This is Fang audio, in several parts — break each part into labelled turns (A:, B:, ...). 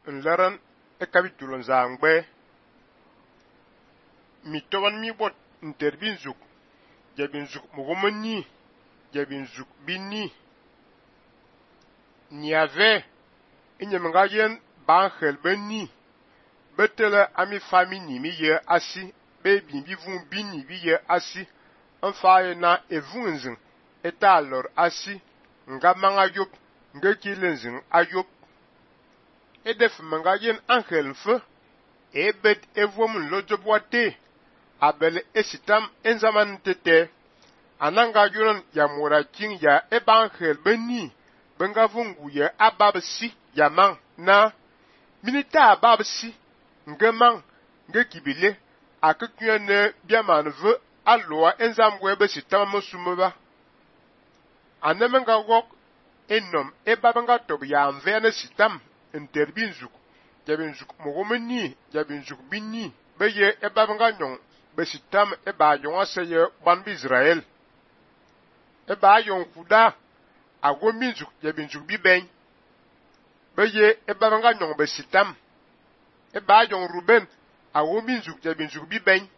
A: nlaran e capítulo nzangbe mi toban mi bot interbinzuk jabinzuk mugomani jabinzuk binni niave inyemengayen bankhel benni betele ami famini mi ye asi be bivun binni bi ye asi enfaye na evunzin eta lor asi nga manga yop nga kilenzin ayop edef mangayen angel mfe ebet evom lojobwate abel esitam enzaman tete ananga yuron ya muraking ya ebangel benni benga vungu ya ababsi ya mang na minita ababsi ngemang ngekibile akekuyene biamanve aloa enzamwe besitam mosumeba anemenga wok enom ebabanga tob ya mvene sitam interbinzuk jabinzuk mogomeni jabinzuk binni beye ebabanga nyong besitam eba yonga seye ban Israel eba yon kuda agominzuk jabinzuk biben beye ebabanga nyong besitam eba yon Ruben agominzuk jabinzuk biben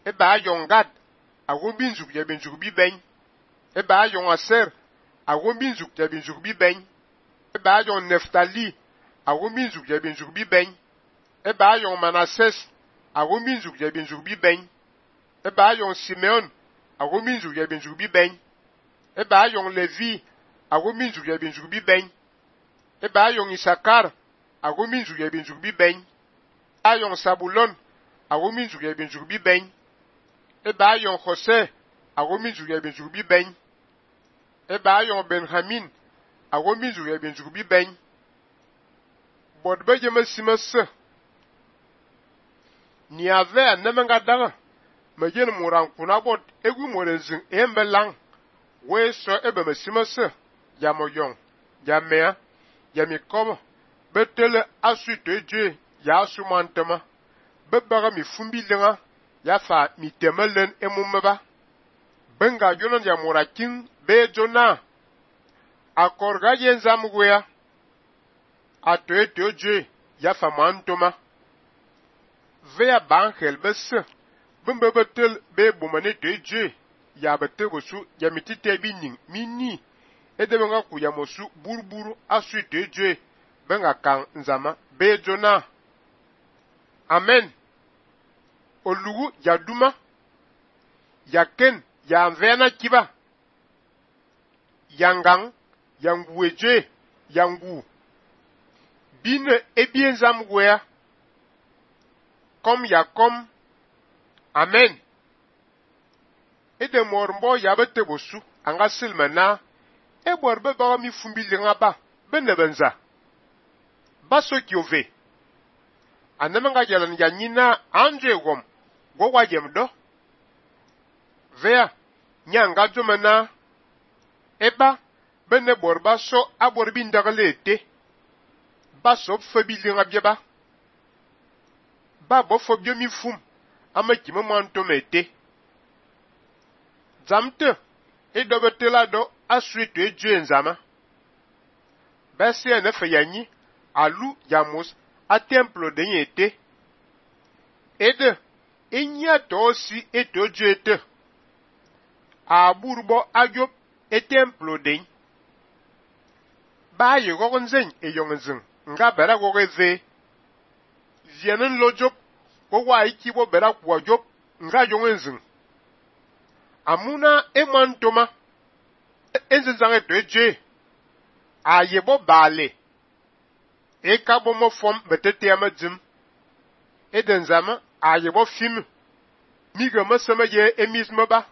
A: eba yon Gad agominzuk jabinzuk biben eba yon Aser agominzuk jabinzuk biben eba yon Neftali agominzuk jabinzuk biben eba yon Manasses agominzuk jabinzuk biben eba yon Simeon agominzuk jabinzuk biben eba yon Levi agominzuk jabinzuk biben eba yon Isakar agominzuk jabinzuk biben eba yon Sabulon agominzuk jabinzuk biben eba yon Jose agominzuk jabinzuk biben eba yon Benjamin agominzuk jabinzuk biben bodbe jemesimese ni ave anemenga daga mayen muran kuna bot egu morenzin embelang we so ebemesimese ya moyon ya mea ya mikobo betele asute je ya asumantema bebaga mi fumbilenga ya fa mi temelen emumeba benga jonon ya murakin be jona akorga yenzamugwea atoe je ya fa mantoma vea bankhel besse bembe betel be bomane je ya bete bosu ya mitite bining mini edebenga ku ya mosu burburu asute je benga kan nzama be jona amen olugu ya duma ya ken ya mvena kiba yangang yangueje yangu bine ebienzam gwea kom ya kom amen ede mormbo ya bete bosu anga silmana eborbe ba mi fumbilinga ba benebenza baso kiove anemanga jalan ya nyina anje gom go wajem do vea nyanga jomana eba bene borba so aborbi ndagalete baso febilinga bieba ba bo fobio mi fum amakime mantomete zamte edobetela do asweto eje nzama bese ene feyanyi alu yamos a templo de yete ede inya tosi etojete aburbo agop e templo de ba ye gogonzen e yongzen nga bera gogeze zienen lojop ko wa ikibo bera kwa jop nga yongzen amuna emantoma enzenzange toje ayebo bale ekabo mo fom betete amadzim edenzama ayebo fim miga masama ye emismaba